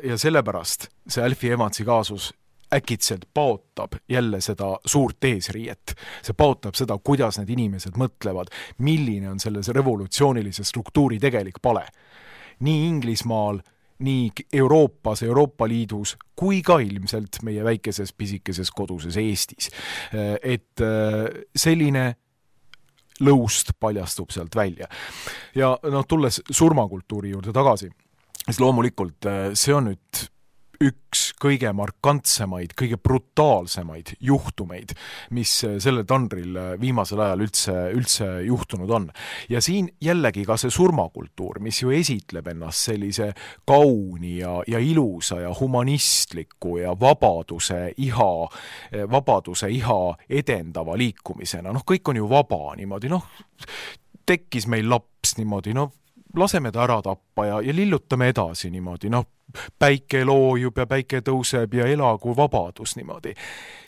ja sellepärast see Alfie Evansi kaasus äkitselt paotab jälle seda suurt eesriiet. See paotab seda, kuidas need inimesed mõtlevad, milline on selles revolutsioonilise struktuuri tegelik pale. Nii Inglismaal, nii Euroopas, Euroopa Liidus, kui ka ilmselt meie väikeses pisikeses koduses Eestis. Et selline lõust paljastub sealt välja. Ja no, tulles surmakultuuri juurde tagasi, siis loomulikult see on nüüd üks kõige markantsemaid, kõige brutaalsemaid juhtumeid, mis sellel tandril viimasel ajal üldse, üldse juhtunud on. Ja siin jällegi ka see surmakultuur, mis ju esitleb ennast sellise kauni ja, ja ilusa ja humanistliku ja vabaduse iha, vabaduse iha edendava liikumisena. Noh, kõik on ju vaba niimoodi, noh, tekkis meil laps niimoodi, noh, laseme ta ära tappa ja, ja lillutame edasi niimoodi, noh, päike loojub ja päike tõuseb ja elagu vabadus niimoodi.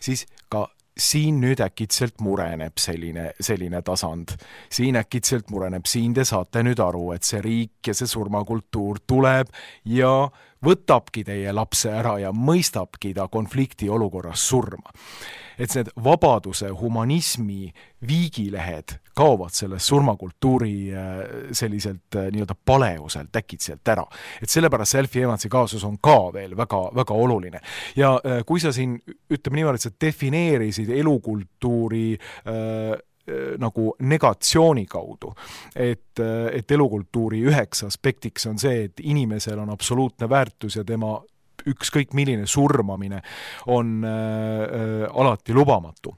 Siis ka siin nüüd äkitselt mureneb selline, selline tasand. Siin äkitselt mureneb, siin te saate nüüd aru, et see riik ja see surmakultuur tuleb ja võtabki teie lapse ära ja mõistabki ta konflikti olukorras surma. Et need vabaduse, humanismi viigilehed kaovad sellest surmakultuuri selliselt nii-öelda paleuselt äkitselt ära. Et sellepärast see Alfie Evansi kaasus on ka veel väga, väga oluline. Ja kui sa siin, ütleme niimoodi, et sa defineerisid elukultuuri äh, nagu negatsiooni kaudu, et, et elukultuuri üheks aspektiks on see, et inimesel on absoluutne väärtus ja tema ükskõik milline surmamine on äh, alati lubamatu.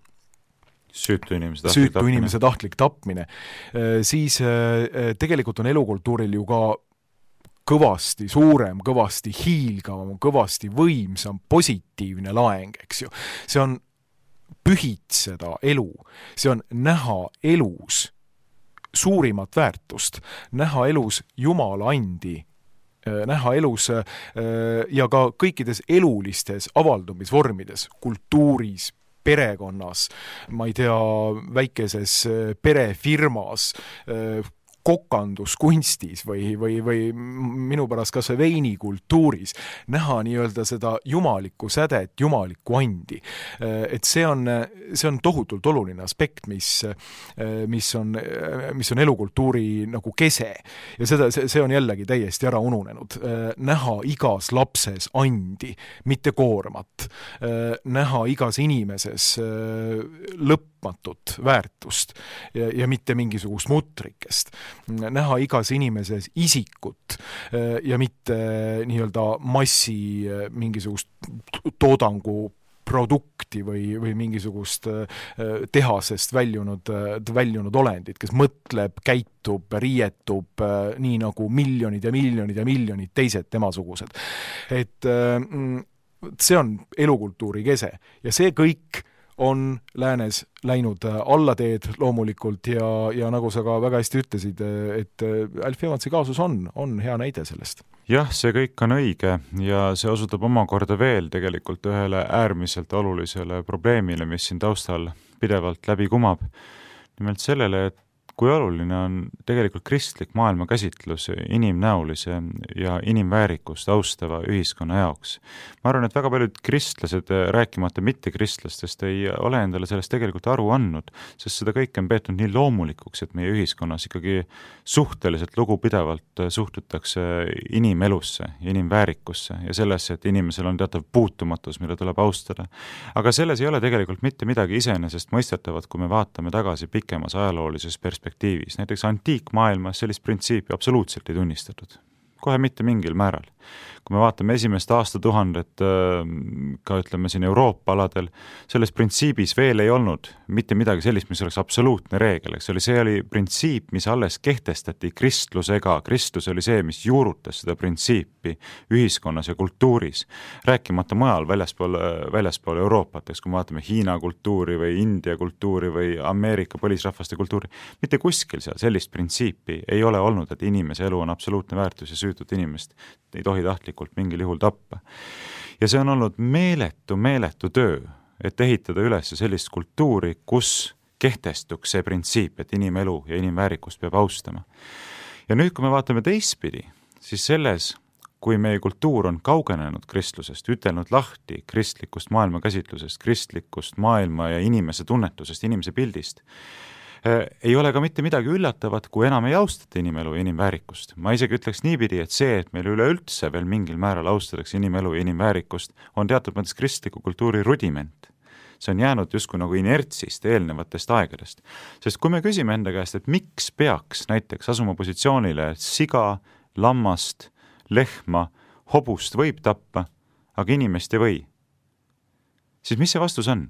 Süütu inimese tahtlik Süütu tapmine. Inimese tahtlik tapmine. Äh, siis äh, tegelikult on elukultuuril ju ka kõvasti suurem, kõvasti hiilgavam, kõvasti võimsam, positiivne laeng, eks ju. See on pühitseda elu, see on näha elus suurimat väärtust, näha elus Jumala andi, näha elus ja ka kõikides elulistes avaldumisvormides, kultuuris, perekonnas, ma ei tea, väikeses perefirmas, kokanduskunstis või, või, või minu pärast kas või veinikultuuris, näha nii-öelda seda jumalikku sädet, jumalikku andi. Et see on, see on tohutult oluline aspekt, mis, mis, on, mis on elukultuuri nagu kese. Ja seda, see on jällegi täiesti ära ununenud. Näha igas lapses andi, mitte koormat. Näha igas inimeses lõpmatut väärtust ja, ja mitte mingisugust mutrikest. Näha igas inimeses isikut ja mitte nii-öelda massi mingisugust toodangu produkti või, või mingisugust tehasest väljunud, väljunud olendit, kes mõtleb, käitub, riietub nii nagu miljonid ja miljonid ja miljonid teised temasugused. Et see on elukultuuri kese ja see kõik on läänes läinud allateed loomulikult ja, ja nagu sa ka väga hästi ütlesid, et Alfie Evansi kaasus on, on hea näide sellest. Jah, see kõik on õige ja see osutab omakorda veel tegelikult ühele äärmiselt olulisele probleemile, mis siin taustal pidevalt läbi kumab. Nimelt sellele, et kui oluline on tegelikult kristlik maailmakäsitlus inimnäolise ja inimväärikust austava ühiskonna jaoks. Ma arvan, et väga paljud kristlased, rääkimata mitte kristlastest, ei ole endale sellest tegelikult aru andnud, sest seda kõike on peetud nii loomulikuks, et meie ühiskonnas ikkagi suhteliselt lugupidavalt suhtutakse inimelusse ja inimväärikusse ja sellesse, et inimesel on teatav puutumatus, mille tuleb austada. Aga selles ei ole tegelikult mitte midagi iseenesest mõistetavat, kui me vaatame tagasi pikemas ajaloolises perspektiivis. Näiteks antiikmaailmas sellist printsiipi absoluutselt ei tunnistatud. Kohe mitte mingil määral. Kui me vaatame esimest aastatuhandet ka ütleme siin Euroopa aladel, selles printsiibis veel ei olnud mitte midagi sellist, mis oleks absoluutne reegel. See oli, see oli printsiip, mis alles kehtestati kristlusega. Kristlus oli see, mis juurutas seda printsiipi ühiskonnas ja kultuuris. Rääkimata mujal väljaspool, väljaspool Euroopat, eks kui me vaatame Hiina kultuuri või India kultuuri või Ameerika põlisrahvaste kultuuri. Mitte kuskil seal sellist printsiipi ei ole olnud, et inimese elu on absoluutne väärtus ja süütut inimest ei tohi tahtlikult mingil juhul tappa. Ja see on olnud meeletu, meeletu töö, et ehitada üles sellist kultuuri, kus kehtestuks see printsiip, et inimelu ja inimväärikust peab austama. Ja nüüd, kui me vaatame teistpidi, siis selles, kui meie kultuur on kaugenenud kristlusest, ütelnud lahti kristlikust maailmakäsitlusest, kristlikust maailma ja inimese tunnetusest, inimese pildist, ei ole ka mitte midagi üllatavat, kui enam ei austata inimelu ja inimväärikust. Ma isegi ütleks niipidi, et see, et meil üleüldse veel mingil määral austatakse inimelu ja inimväärikust, on teatud mõttes kristliku kultuuri rudiment. See on jäänud justkui nagu inertsist eelnevatest aegadest. Sest kui me küsime enda käest, et miks peaks näiteks asuma positsioonile, et siga, lammast, lehma, hobust võib tappa, aga inimest ei või, siis mis see vastus on?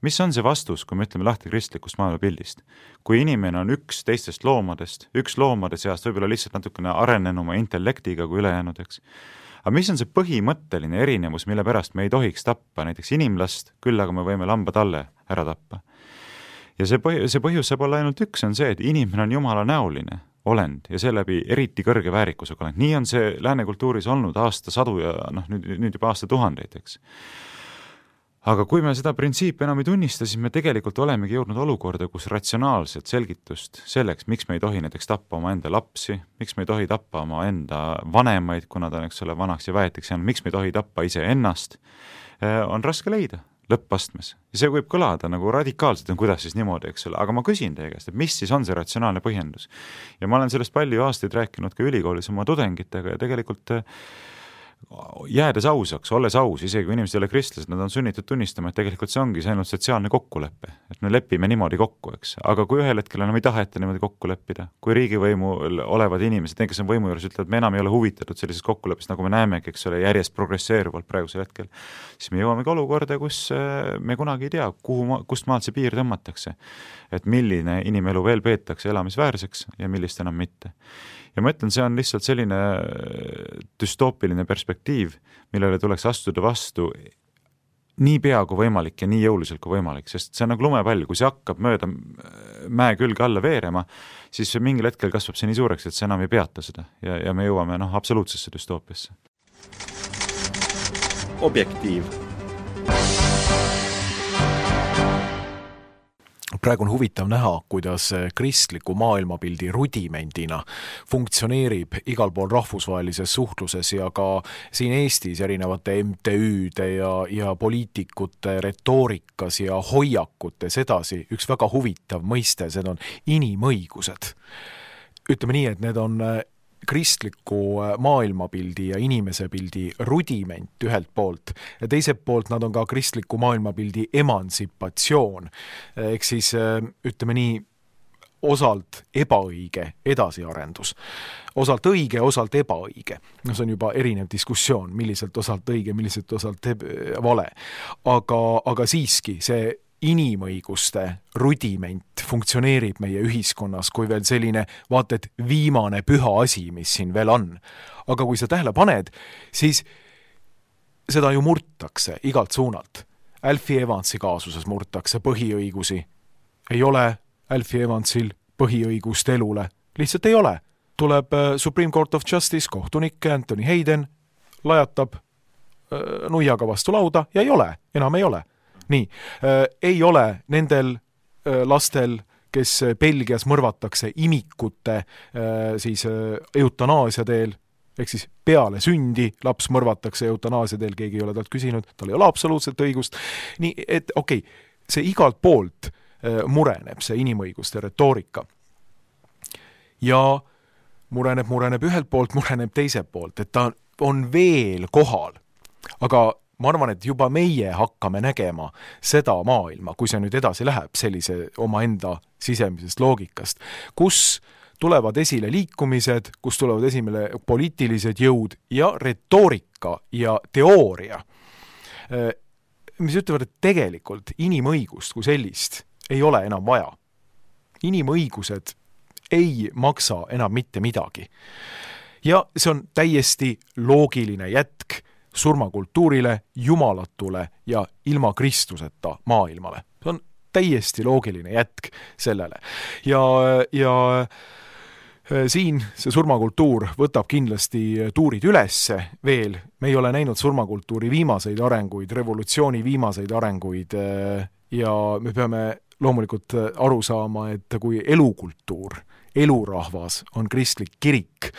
Mis on see vastus, kui me ütleme lahti kristlikust maailmapildist? Kui inimene on üks teistest loomadest, üks loomade seast võib-olla lihtsalt natukene arenenuma intellektiga kui ülejäänud, eks. Aga mis on see põhimõtteline erinevus, mille pärast me ei tohiks tappa näiteks inimlast, küll aga me võime lamba talle ära tappa? Ja see, põh- see põhjus saab olla ainult üks, on see, et inimene on jumala näoline olend ja seeläbi eriti kõrge väärikusega olend. Nii on see lääne kultuuris olnud aasta sadu ja noh, nüüd, nüüd juba aasta tuhandeid, eks. aga kui me seda printsiipi enam ei tunnista, siis me tegelikult olemegi jõudnud olukorda, kus ratsionaalset selgitust selleks, miks me ei tohi näiteks tappa oma enda lapsi, miks me ei tohi tappa oma enda vanemaid, kuna ta on, eks ole, vanaks ja väetiks jäänud, miks me ei tohi tappa ise ennast, on raske leida lõppastmes. Ja see võib kõlada nagu radikaalselt, on kuidas siis niimoodi, eks ole, aga ma küsin teie käest, et mis siis on see ratsionaalne põhjendus. Ja ma olen sellest palju aastaid rääkinud ka ülikoolis oma tudengitega ja tegelikult jäädes ausaks, olles aus, isegi kui inimesed ei ole kristlased, nad on sunnitud tunnistama, et tegelikult see ongi see ainult sotsiaalne kokkulepe, et me lepime niimoodi kokku, eks. Aga kui ühel hetkel enam ei taheta niimoodi kokku leppida, kui riigivõimul olevad inimesed, need, kes on võimu juures, ütlevad, et me enam ei ole huvitatud sellisest kokkuleppest, nagu me näemegi, eks ole, järjest progresseeruvalt praegusel hetkel, siis me jõuame ka olukorda, kus me kunagi ei tea, kuhu, kust maalt see piir tõmmatakse, et milline inimelu veel peetakse elamisväärseks ja millist enam mitte. Ja ma ütlen, see on lihtsalt selline düstoopiline perspektiiv, millele tuleks astuda vastu nii pea kui võimalik ja nii jõuliselt kui võimalik, sest see on nagu lumepall, kui see hakkab mööda mäe külge alla veerema, siis mingil hetkel kasvab see nii suureks, et see enam ei peata seda ja, ja me jõuame noh, absoluutsesse düstoopiasse. Objektiiv. Praegu on huvitav näha, kuidas kristliku maailmapildi rudimendina funktsioneerib igal pool rahvusvahelises suhtluses ja ka siin Eestis erinevate M T Üde ja, ja poliitikute retoorikas ja hoiakutes edasi üks väga huvitav mõiste, see on inimõigused. Ütleme nii, et need on kristliku maailmapildi ja inimesepildi rudiment ühelt poolt ja teiselt poolt nad on ka kristliku maailmapildi emantsipatsioon, ehk siis ütleme nii osalt ebaõige edasiarendus. Osalt õige, osalt ebaõige. No see on juba erinev diskussioon, milliselt osalt õige, milliselt osalt vale. Aga, aga siiski see inimõiguste rudiment funktsioneerib meie ühiskonnas kui veel selline, vaata, et viimane püha asi, mis siin veel on. Aga kui sa tähele paned, siis seda ju murtakse igalt suunalt. Alfie Evansi kaasuses murtakse põhiõigusi. Ei ole Alfie Evansil põhiõigust elule. Lihtsalt ei ole. Tuleb Supreme Court of Justice kohtunik Anthony Hayden, lajatab nuiaga vastu lauda ja ei ole, enam ei ole. Nii, äh, ei ole nendel äh, lastel, kes Belgias mõrvatakse imikute äh, siis äh, eutanaasia teel, ehk siis peale sündi laps mõrvatakse eutanaasia teel, keegi ei ole talt küsinud, tal ei ole absoluutselt õigust. Nii, et okei, okay, see igalt poolt äh, mureneb, see inimõiguste retoorika. Ja mureneb, mureneb ühelt poolt, mureneb teiselt poolt, et ta on veel kohal, aga ma arvan, et juba meie hakkame nägema seda maailma, kui see nüüd edasi läheb sellise oma enda sisemisest loogikast, kus tulevad esile liikumised, kus tulevad esile poliitilised jõud ja retoorika ja teooria, mis ütlevad, et tegelikult inimõigust kui sellist ei ole enam vaja. Inimõigused ei maksa enam mitte midagi. Ja see on täiesti loogiline jätk surmakultuurile, jumalatule ja ilma Kristuseta maailmale. See on täiesti loogiline jätk sellele. Ja, ja siin see surmakultuur võtab kindlasti tuurid ülesse veel. Me ei ole näinud surmakultuuri viimaseid arenguid, revolutsiooni viimaseid arenguid ja me peame loomulikult aru saama, et kui elukultuur, elurahvas on kristlik kirik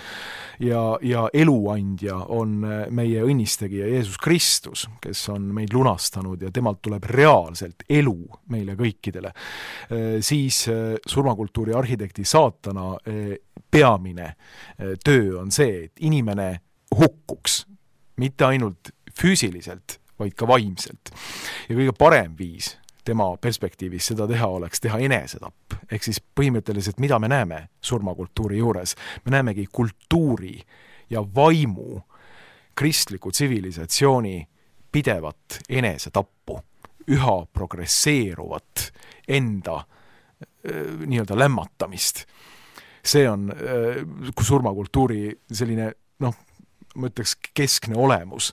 ja, ja eluandja on meie õnnistegija Jeesus Kristus, kes on meid lunastanud ja temalt tuleb reaalselt elu meile kõikidele, siis surmakultuuri arhitekti saatana peamine töö on see, et inimene hukkuks mitte ainult füüsiliselt, vaid ka vaimselt. Ja kõige parem viis tema perspektiivis seda teha oleks teha enesetapp. Ehk siis põhimõtteliselt, mida me näeme surmakultuuri juures? Me näemegi kultuuri ja vaimu kristliku tsivilisatsiooni pidevat enesetappu, üha progresseeruvat enda nii-öelda lämmatamist. See on surmakultuuri selline, noh, ma ütleks keskne olemus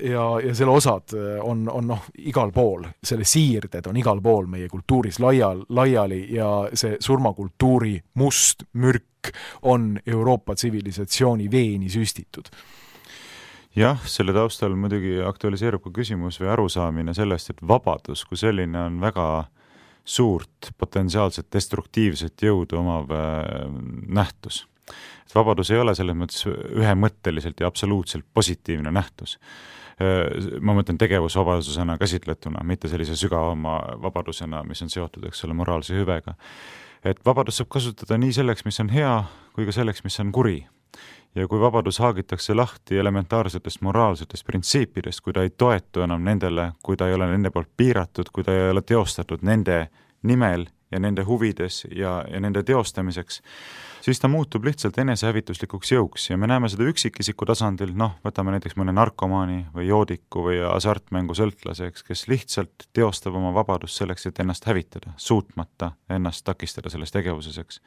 ja, ja selle osad on, on noh, igal pool, selle siirded on igal pool meie kultuuris laial, laiali ja see surmakultuuri must mürk on Euroopa tsivilisatsiooni veeni süstitud. jah, selle taustal muidugi aktualiseerub ka küsimus või arusaamine sellest, et vabadus kui selline on väga suurt potentsiaalselt destruktiivset jõudu omav nähtus. Et vabadus ei ole selles mõttes ühemõtteliselt ja absoluutselt positiivne nähtus. Ma mõtlen tegevusvabadusena käsitletuna, mitte sellise sügavama vabadusena, mis on seotud, eks ole, moraalse hüvega. Et vabadus saab kasutada nii selleks, mis on hea, kui ka selleks, mis on kuri. Ja kui vabadus haagitakse lahti elementaarsetest moraalsetest printsiipidest, kui ta ei toetu enam nendele, kui ta ei ole nende poolt piiratud, kui ta ei ole teostatud nende nimel ja nende huvides ja, ja nende teostamiseks, siis ta muutub lihtsalt enesehävituslikuks jõuks ja me näeme seda üksikisiku tasandil, noh, võtame näiteks mõne narkomaani või joodiku või hasartmängu sõltlaseks, kes lihtsalt teostab oma vabadust selleks, et ennast hävitada, suutmata ennast takistada selles tegevuseseks.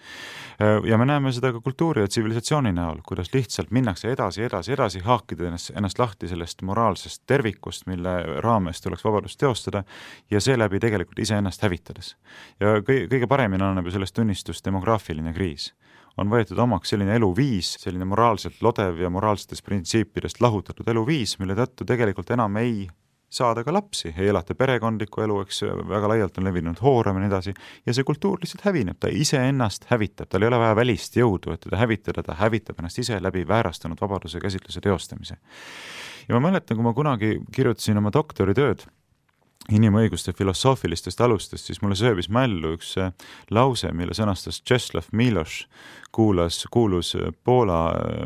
Ja me näeme seda ka kultuuri ja tsivilisatsiooni näol, kuidas lihtsalt minnakse edasi, edasi, edasi, haakida ennast, ennast lahti sellest moraalsest tervikust, mille raames tuleks vabadust teostada ja seeläbi tegelikult iseennast hävitades. Ja kõige paremini annab ju sellest tunnistust demograafiline kriis. On võetud omaks selline eluviis, selline moraalselt lodev ja moraalsetest printsiipidest lahutatud eluviis, mille tõttu tegelikult enam ei saada ka lapsi, ei elata perekondlikku elu, eks väga laialt on levinud hooram ja nii edasi, ja see kultuur lihtsalt hävineb, ta ise ennast hävitab, tal ei ole vaja välist jõudu, et teda hävitada, ta hävitab ennast ise läbi väärastunud vabaduse käsitluse teostamise. Ja ma mäletan, kui ma kunagi kirjutasin oma doktoritööd inimõiguste filosoofilistest alustest, siis mulle sööbis mällu üks lause, mille sõnastas Czesław Miłosz, kuulas, kuulus Poola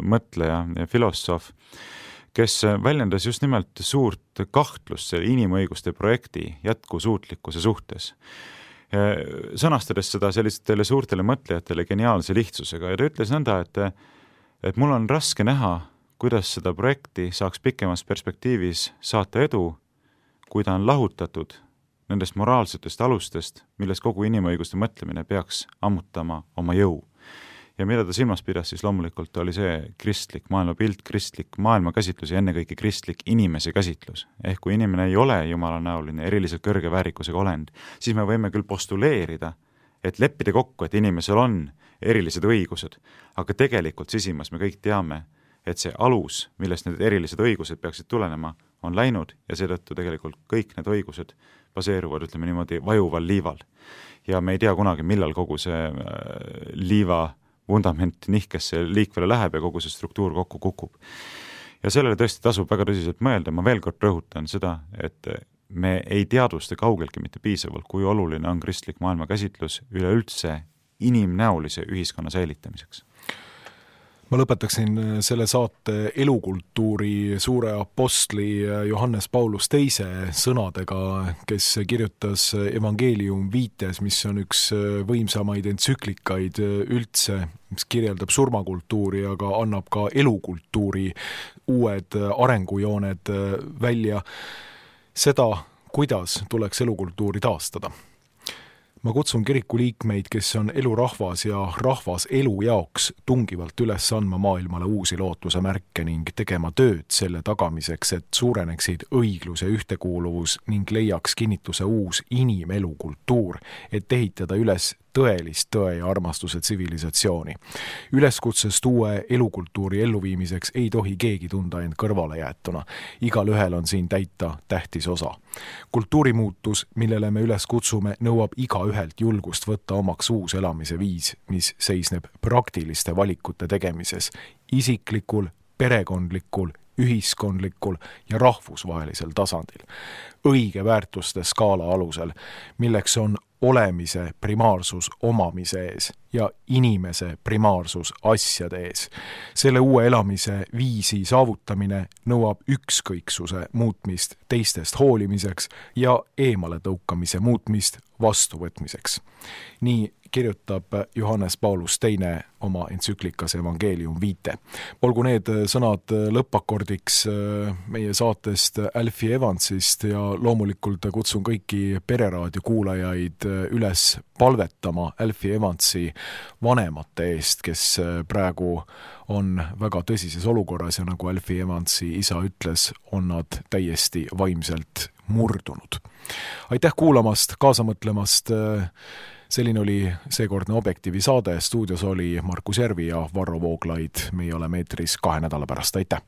mõtleja ja filosoof, kes väljendas just nimelt suurt kahtlust selle inimõiguste projekti jätkusuutlikkuse suhtes. Sõnastades seda sellistele suurtele mõtlejatele geniaalse lihtsusega ja ta ütles nõnda, et, et mul on raske näha, kuidas seda projekti saaks pikemas perspektiivis saata edu, kui ta on lahutatud nendest moraalsetest alustest, milles kogu inimõiguste mõtlemine peaks ammutama oma jõu. Ja mida ta silmas pidas, siis loomulikult oli see kristlik maailmapilt, kristlik maailmakäsitlus ja ennekõike kristlik inimese käsitlus. Ehk kui inimene ei ole jumalanäoline, eriliselt kõrge väärikusega olend, siis me võime küll postuleerida, et leppida kokku, et inimesel on erilised õigused, aga tegelikult sisimas me kõik teame, et see alus, millest need erilised õigused peaksid tulenema, on läinud ja seetõttu tegelikult kõik need õigused baseeruvad, ütleme niimoodi, vajuval liival. Ja me ei tea kunagi, millal kogu see liiva vundament nihkesse liikvele läheb ja kogu see struktuur kokku kukub. Ja sellele tõesti tasub väga tõsiselt mõelda, ma veel kord rõhutan seda, et me ei teadvusta kaugeltki mitte piisavalt, kui oluline on kristlik maailmakäsitlus üleüldse inimnäolise ühiskonna säilitamiseks. Ma lõpetaksin selle saate elukultuuri suure apostli Johannes Paulus teise sõnadega, kes kirjutas Evangelium viites, mis on üks võimsamaid entsüklikaid üldse, mis kirjeldab surmakultuuri, aga annab ka elukultuuri uued arengujooned välja seda, kuidas tuleks elukultuuri taastada. Ma kutsun kiriku liikmeid, kes on elurahvas ja rahvas elu jaoks tungivalt üles andma maailmale uusi lootuse märke ning tegema tööd selle tagamiseks, et suureneksid õiglus ja ühtekuuluvus ning leiaks kinnituse uus inimelukultuur, et ehitada üles tõelist tõe ja armastuse tsivilisatsiooni. Üleskutsest uue elukultuuri elluviimiseks ei tohi keegi tunda end kõrvale jäetuna. Igal ühel on siin täita tähtis osa. Kultuurimuutus, millele me üles kutsume, nõuab iga ühelt julgust võtta omaks uus elamise viis, mis seisneb praktiliste valikute tegemises, isiklikul, perekondlikul, ühiskondlikul ja rahvusvahelisel tasandil. Õige väärtuste skaala alusel, milleks on olemise primaarsus omamise ees ja inimese primaarsus asjade ees. Selle uue elamise viisi saavutamine nõuab ükskõiksuse muutmist teistest hoolimiseks ja eemale tõukamise muutmist vastuvõtmiseks. Nii kirjutab Johannes Paulus teine oma entsüklikas Evangelium viite. Olgu need sõnad lõppakordiks meie saatest Alfie Evansist ja loomulikult kutsun kõiki Pereraadio kuulajaid üles palvetama Alfie Evansi vanemate eest, kes praegu on väga tõsises olukorras ja nagu Alfie Evansi isa ütles, on nad täiesti vaimselt murdunud. Aitäh kuulamast, kaasa mõtlemast. Selline oli seekordne Objektiivi saade, stuudios oli Markus Järvi ja Varro Vooglaid. Meie oleme eetris kahe nädala pärast, aitäh!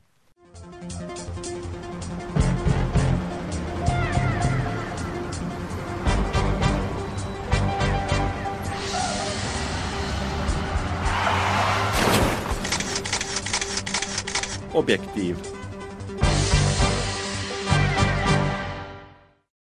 Objektiiv.